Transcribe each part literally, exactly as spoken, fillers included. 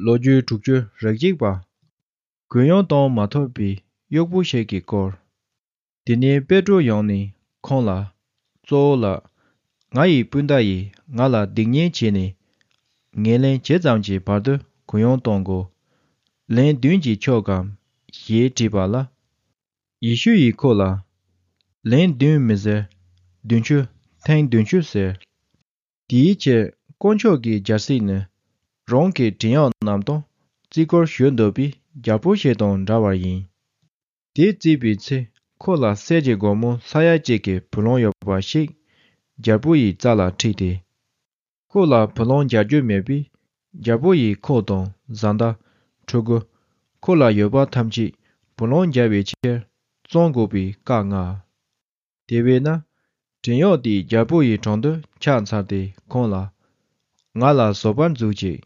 ལོ་རྒྱུས་དྲུག་ཅུ་རེ་གཅིག་པ། གུ་ཡངས་གཏོང་མ་ཐུབ་པའི་གཡོག་པོ་ཞིག་གི་སྐོར། དེ་ནས་པེ་ཏྲོ་ཡོང་ནས་ཁོང་ལ། གཙོ་བོ་ལགས། ང་ཡི་སྤུན་ཟླ་ཡིས་ང་ལ་སྡིག་ཉེས་བྱས་ནས། ངས་ལན་ཇི་ཙམ་གྱི་བར་དུ་གུ་ཡངས་གཏོང་དགོས། ལན་བདུན་གྱིས་ཆོག་གམ། ཞེས་དྲིས་པ་ལ། ཡེ་ཤུ་ཡིས་ཁོ་ལ། ལན་བདུན་མི་ཟེར། བདུན་ཅུ། ཐེངས་བདུན་ཅུ་ཟེར། དེའི་ཕྱིར་དཀོན་མཆོག་གི་རྒྱལ་སྲིད་ནི། རང་གི་བྲན་གཡོག་རྣམས་དང་རྩིས་སྐོར་ཞུ་འདོད་པའི་རྒྱལ་པོ་ཞིག་དང་འདྲ་བར་ཡིན། དེ་བརྩིས་པའི་ཚེ་ཁོ་ལ་གསེར་གྱི་སྒོར་མོ་ས་ཡ་གཅིག་གི་བུ་ལོན་ཡོད་པ་ཞིག་རྒྱལ་པོ་ཡི་རྩ་ལ་ཁྲིད་དེ། ཁོ་ལ་བུ་ལོན་འཇལ་རྒྱུ་མེད་པས། རྒྱལ་པོ་ཡིས་ཁོ་དང་བཟའ་ཟླ། ཕྲུ་གུ། ཁོ་ལ་ཡོད་པ་ཐམས་ཅད་བུ་ལོན་འཇལ་བའི་ཕྱིར་བཙོང་དགོས་པའི་བཀའ་མངགས། དེ་བས་ན། བྲན་གཡོག་དེས་རྒྱལ་པོ་ཡི་དྲུང་དུ་ཕྱག་འཚལ་ཏེ་ཁོང་ལ། ང་ལ་བཟོད་པར་མཛོད་ཅིག།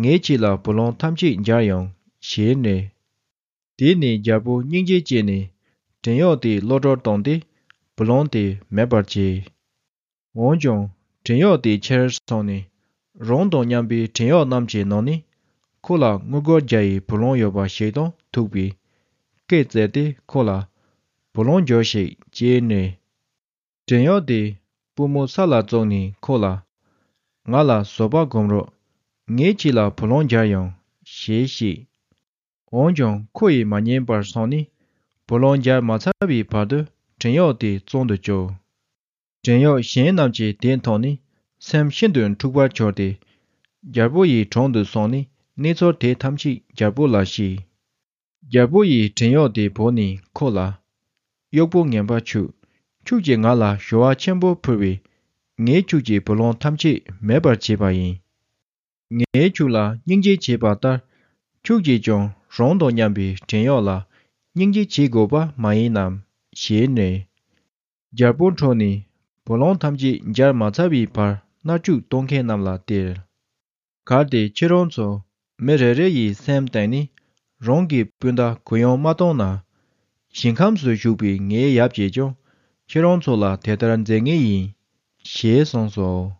ངས་ཁྱེད་ལ་བུ་ལོན་ཐམས་ཅད་འཇལ་ཡོང་ཞེས་ནས། དེ་ནས་རྒྱལ་པོ་སྙིང་རྗེ་སྐྱེས་ནས་བྲན་གཡོག་དེ་གློད་གྲོལ་བཏང་སྟེ་བུ་ལོན་དེ་མེད་པར་བྱས། འོན་ཀྱང་བྲན་གཡོག་དེ་ཕྱིར་སོང་ནས་རང་དང་མཉམ་པའི་བྲན་གཡོག་རྣམས་ཀྱི་ནང་ནས་ཁོ་ལ་དངུལ་སྒོར་བརྒྱ་ཡི་བུ་ལོན་ཡོད་པ་ཞིག་དང་ཐུག་པས་སྐད་བཙལ་ཏེ་ཁོ་ལ་བུ་ལོན་འཇལ་ཞིག་ཅེས་ནས། བྲན་གཡོག་དེས་པུས་མོ་ས་ལ་བཙུགས་ནས་ཁོ་ལ། ང་ལ་བཟོད་པ་སྒོམ་རོགས། ངས་ཁྱེད་ལ་བུ་ལོན་འཇལ་ཡོང་ཞེས་བཤད། འོན་ཀྱང་ཁོ་ཡིས་མ་ཉན་པར་སོང་ནས་བུ་ལོན་འཇལ་མ་ཚར་བའི་བར་དུ་བྲན་གཡོག་དེ་བཙོན་དུ་བཅུག། བྲན་གཡོག་གཞན་རྣམས་ཀྱིས་དེ་མཐོང་ནས་སེམས་ཤིན་ཏུ་འཁྲུགས་པར་གྱུར་ཏེ། རྒྱལ་པོ་ཡི་དྲུང་དུ་སོང་ནས་གནས་ཚུལ་དེ་ཐམས་ཅད་རྒྱལ་པོ་ལ་བཤད། རྒྱལ་པོ་ཡིས་བྲན་གཡོག་དེ་བོས་ནས་ཁོ་ལ། གཡོག་པོ་ངན་པ་ཁྱོད། ཁྱོད་ཀྱིས་ང་ལ་ཞུ་བ་ཆེན་པོ་ཕུལ་བས། ངས་ཁྱོད་ཀྱི་བུ་ལོན་ཐམས་ཅད་མེད་པར་བྱས་པ་ཡིན། ངས་ཁྱོད་ལ་སྙིང་རྗེ་བྱས་པ་ལྟར། ཁྱོད་ཀྱིས་ཀྱང་རང་དང་མཉམ་པའི་བྲན་གཡོག་ལ་སྙིང་རྗེ་བྱེད་དགོས་པ་མ་ཡིན་ནམ་ཞེས་ནས། རྒྱལ་པོ་ཁྲོས་ནས་བུ་ལོན་ཐམས་ཅད་འཇལ་མ་ཚར་བའི་བར་མནར་གཅོད་གཏོང་མཁན་རྣམས་ལ་སྟེར། གལ་ཏེ་ཁྱེད་རང་ཚོ་མི་རེ་རེ་ཡི་སེམས་གཏིང་ནས་རང་གི་སྤུན་ཟླ་གུ་ཡངས་མ་གཏོང་ན། ཞིང་ཁམས་སུ་བཞུགས་པའི་ངའི་ཡབ་ཀྱིས་ཀྱང་ཁྱེད་རང་ཚོ་ལ་དེ་ལྟར་མཛད་ངེས་ཡིན། ཞེས་གསུངས་སོ།